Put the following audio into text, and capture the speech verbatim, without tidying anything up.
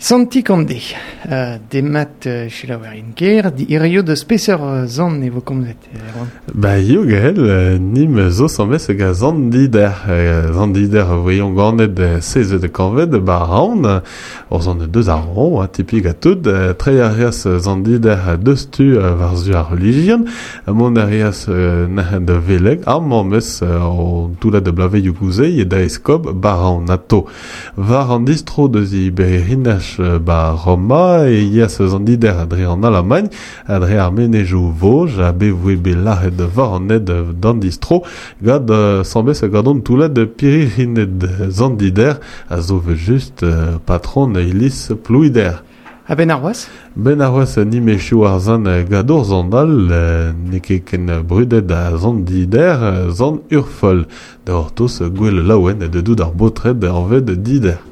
Santi Kande, uh, demat uh, selaouerien ker, di hirio deus peseurt zan e vo komzet, Erwan? Ba eo gael, nim zo sammes ga zan dider. Zan dider voyon ganet seize de kanved, ba raon, ur zan deus ar ron, a tipik a tout, tre a reas zan dider deus tu war zu ar religion, mont a reas nahen de veleg, ar mammes o toulat de blave youguzei e da eskob ba raon ato. War an distro deus i bererinach ba Roma e yas zan dider dre an Allemagne, dre ar menejou voj, a be voe be laret war an ed d'an distro, gad sambes gadon toulat de piririnet zan dider, a zo just patron ilis plouider. A ben ar oaz? Ben ar oaz ni mechou ar zan gador zan al, ne ket ken brudet a zan dider, zan urfol. Da ortos gwell laouen de dout ar botred anved dider.